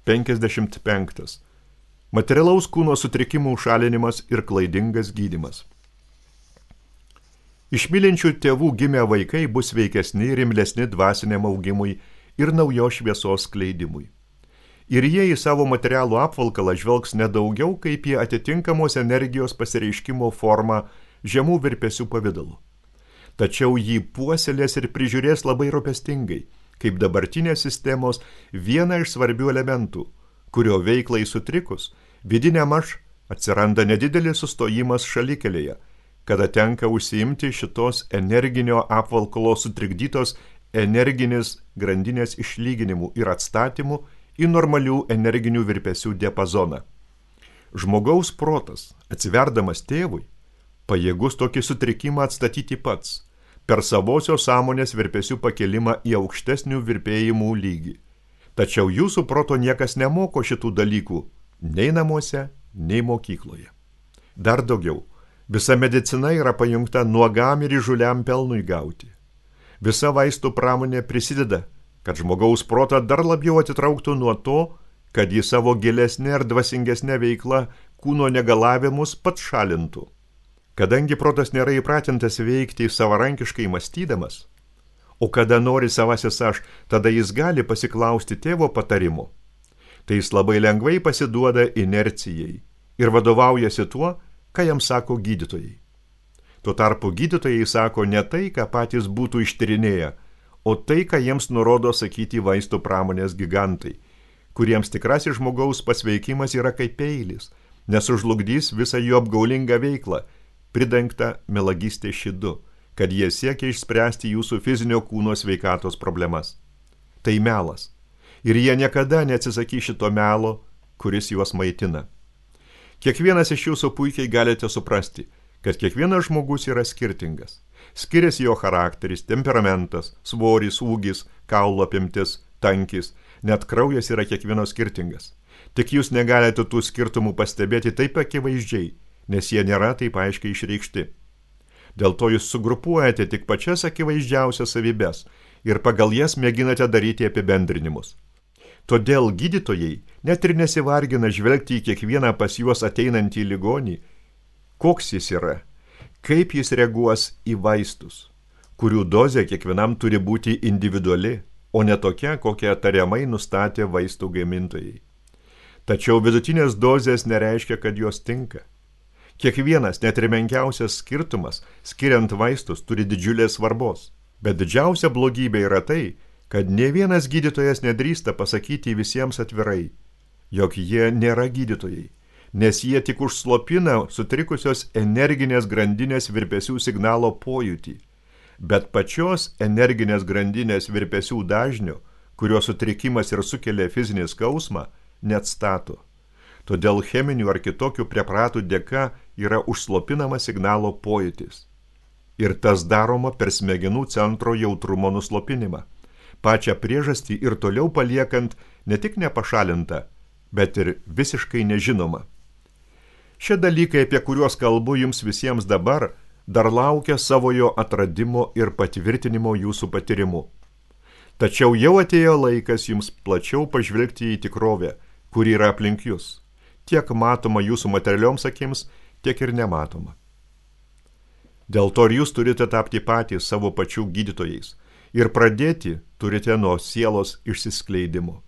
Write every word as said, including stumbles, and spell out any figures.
penkiasdešimt penktas. Materialaus kūno sutrikimų šalinimas ir klaidingas gydymas. Iš mylinčių tėvų gimę vaikai bus veikesni ir imlesni dvasiniam augimui ir naujos šviesos skleidimui. Ir jie į savo materialų apvalkalą žvelgs nedaugiau kaip į atitinkamos energijos pasireiškimo formą žemų virpesių pavidalu. Tačiau jį puoselės ir prižiūrės labai rūpestingai, kaip dabartinės sistemos vieną iš svarbių elementų, kurio veiklai sutrikus, vidiniam aš atsiranda nedidelis sustojimas šalikelėje, kada tenka užsiimti šitos energinio apvalkalo sutrikdytos energinės grandinės išlyginimų ir atstatymų į normalių energinių virpesių diapazoną. Žmogaus protas, atsiverdamas tėvui, pajėgus tokį sutrikimą atstatyti pats, per savosios sąmonės virpesių pakelimą į aukštesnių virpėjimų lygį. Tačiau jūsų proto niekas nemoko šitų dalykų, nei namuose, nei mokykloje. Dar daugiau, visa medicina yra pajungta nuogam ir įžuliam pelnui gauti. Visa vaistų pramonė prisideda, kad žmogaus protą dar labiau atitrauktų nuo to, kad jį savo gilesnė ir dvasingesnė veikla kūno negalavimus pats šalintų. Kadangi protas nėra įpratintas veikti savarankiškai mąstydamas, o kada nori savasis aš, tada jis gali pasiklausti tėvo patarimo, tai jis labai lengvai pasiduoda inercijai ir vadovaujasi tuo, ką jam sako gydytojai. Tuo tarpu gydytojai sako ne tai, ką patys būtų ištyrinėję, o tai, ką jiems nurodo sakyti vaistų pramonės gigantai, kuriems tikrasis žmogaus pasveikimas yra kaip peilis, nes užlugdys visą jų apgaulingą veiklą, pridengtą melagystės šydu, kad jie siekia išspręsti jūsų fizinio kūno sveikatos problemas. Tai melas. Ir jie niekada neatsisakys šito melo, kuris juos maitina. Kiekvienas iš jūsų puikiai galite suprasti, kad kiekvienas žmogus yra skirtingas. Skiriasi jo charakteris, temperamentas, svoris, ūgis, kaulo apimtis, tankis, net kraujas yra kiekvieno skirtingas. Tik jūs negalite tų skirtumų pastebėti taip akivaizdžiai, nes jie nėra taip aiškiai išreikšti. Dėl to jūs sugrupuojate tik pačias akivaizdžiausias savybes ir pagal jas mėginate daryti apibendrinimus. Todėl gydytojai net ir nesivargina žvelgti į kiekvieną pas juos ateinantį ligonį, koks jis yra, kaip jis reaguos į vaistus, kurių dozė kiekvienam turi būti individuali, o ne tokia, kokią tariamai nustatė vaistų gamintojai. Tačiau vidutinės dozės nereiškia, kad jos tinka. Kiekvienas, net ir menkiausias skirtumas, skiriant vaistus, turi didžiulės svarbos. Bet didžiausia blogybė yra tai, kad ne vienas gydytojas nedrįsta pasakyti visiems atvirai, jog jie nėra gydytojai, nes jie tik užslopina sutrikusios energinės grandinės virpesių signalo pojūtį, bet pačios energinės grandinės virpesių dažnio, kurio sutrikimas ir sukelia fizinį skausmą, neatstato. Todėl cheminių ar kitokių preparatų dėka yra užslopinama signalo pojūtis. Ir tas daroma per smegenų centro jautrumo nuslopinimą, pačią priežastį ir toliau paliekant ne tik nepašalintą, bet ir visiškai nežinoma. Šie dalykai, apie kuriuos kalbu jums visiems dabar, dar laukia savojo atradimo ir patvirtinimo jūsų patyrimu. Tačiau jau atėjo laikas jums plačiau pažvelgti į tikrovę, kuri yra aplink jūs, tiek matoma jūsų materialioms akims, tiek ir nematoma. Dėl to ir jūs turite tapti patys savo pačių gydytojais ir pradėti turite nuo sielos išsiskleidimo.